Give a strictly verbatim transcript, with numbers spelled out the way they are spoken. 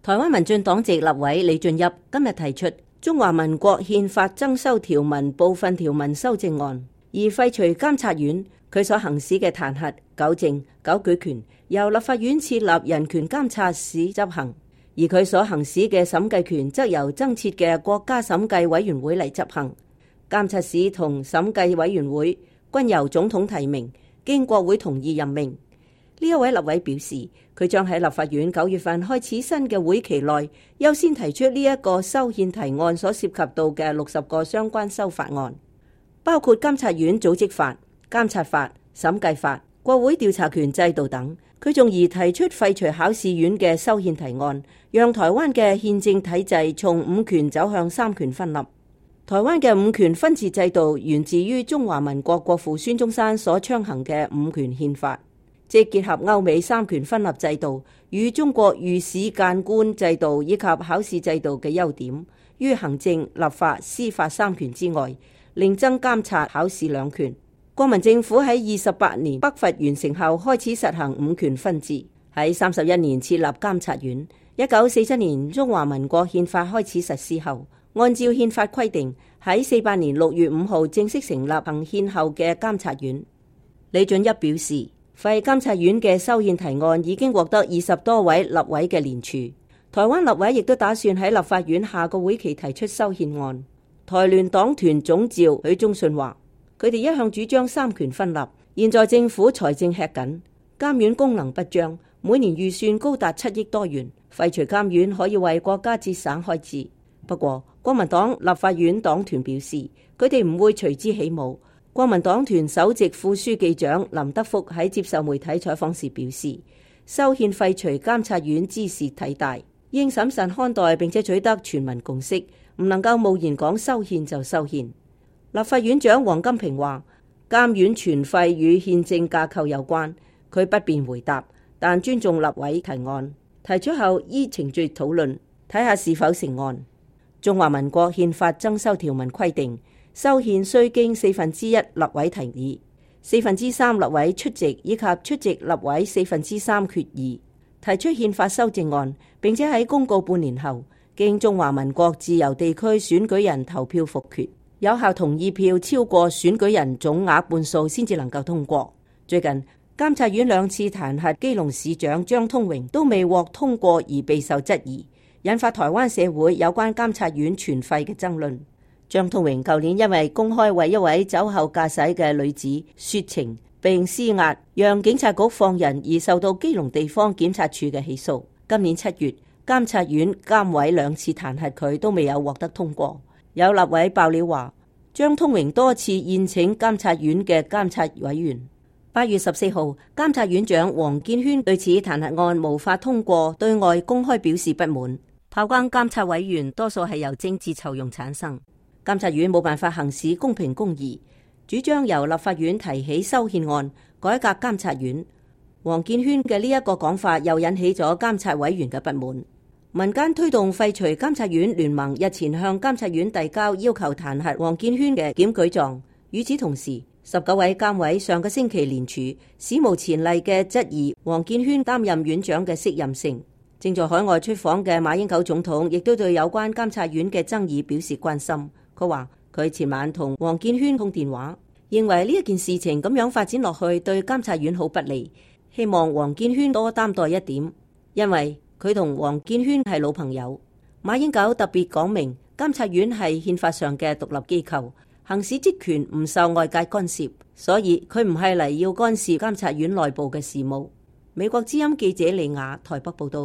台灣民進黨籍立委李俊俋今日提出中華民國憲法增修條文部分條文修正案，而廢除監察院佢所行使嘅彈劾、糾正、糾舉權，由立法院設立人權監察使執行，而佢所行使嘅審計權則由增設嘅國家審計委員會嚟執行。監察使同審計委員會均由總統提名，經國會同意任命。呢一位立委表示，佢將喺立法院九月份開始新嘅會期內，優先提出呢一個修憲提案所涉及到嘅六十個相關修法案，包括監察院組織法、監察法、審計法、國會調查權制度等。佢仲而提出廢除考試院嘅修憲提案，讓台灣嘅憲政體制從五權走向三權分立。台灣嘅五權分治制度源自於中華民國國父孫中山所倡行嘅五權憲法，即結合歐美三權分立制度與中國御史諫官制度以及考試制度嘅優點，於行政、立法、司法三權之外，另增監察、考試兩權。國民政府喺二十八年北伐完成後開始實行五權分治，喺三十一年設立監察院。一九四七年中華民國憲法開始實施後，按照憲法規定，喺四八年六月五號正式成立行憲後嘅監察院。李俊俋表示，廢監察院嘅修憲提案已經獲得二十多位立委嘅聯署，台灣立委亦都打算喺立法院下個會期提出修憲案。台聯黨團總召許忠信話，佢哋一向主張三權分立，現在政府財政吃緊，監院功能不彰，每年預算高達七億多元，廢除監院可以為國家節省開支。不過，國民黨立法院黨團表示，佢哋唔會隨之起舞。國民黨團首席副書記長林德福喺接受媒體採訪時表示，修憲廢除監察院之事體大，應審慎看待並且取得全民共識，唔能夠貿然講修憲就修憲。立法院長王金平話，監院全廢與憲政架構有關，佢不便回答，但尊重立委提案，提出後依程序討論，睇下是否成案。中華民國憲法增修條文規定，修憲須經四分之一立委提議，四分之三立委出席以及出席立委四分之三決議，提出憲法修正案，並且喺公告半年後，經中華民國自由地區選舉人投票復決，有效同意票超過選舉人總額半數先至能夠通過。最近監察院兩次彈劾基隆市長張通榮都未獲通過而備受質疑，引發台灣社會有關監察院全廢嘅爭論。張通榮舊年因為公開為一位酒後駕駛嘅女子說情並施壓，讓警察局放人而受到基隆地方檢察處嘅起訴。今年七月，監察院監委兩次彈劾佢都未有獲得通過。有立委爆料話，張通榮多次宴請監察院嘅監察委員。八月十四號，監察院長王建煊對此彈劾案無法通過，對外公開表示不滿。炮轟監察委員多數係由政治酬庸產生。監察院冇辦法行使公平公義，主張由立法院提起修憲案，改革監察院。王建煊嘅呢一個講法又引起咗監察委員嘅不滿。民間推動廢除監察院聯盟日前向監察院遞交要求彈劾王建煊嘅檢舉狀。與此同時，十九位監委上個星期聯署，史無前例嘅質疑王建煊擔任院長嘅適任性。正在海外出訪嘅馬英九總統亦都對有關監察院嘅爭議表示關心。佢話佢前晚同王建煊通電話，認為呢一件事情咁樣發展落去對監察院好不利，希望王建煊多擔待一點，因為佢同王建煊係老朋友。馬英九特別講明，監察院係憲法上嘅獨立機構，行使職權唔受外界干涉，所以佢唔係嚟要干涉監察院內部嘅事務。美國之音記者李雅台北報道。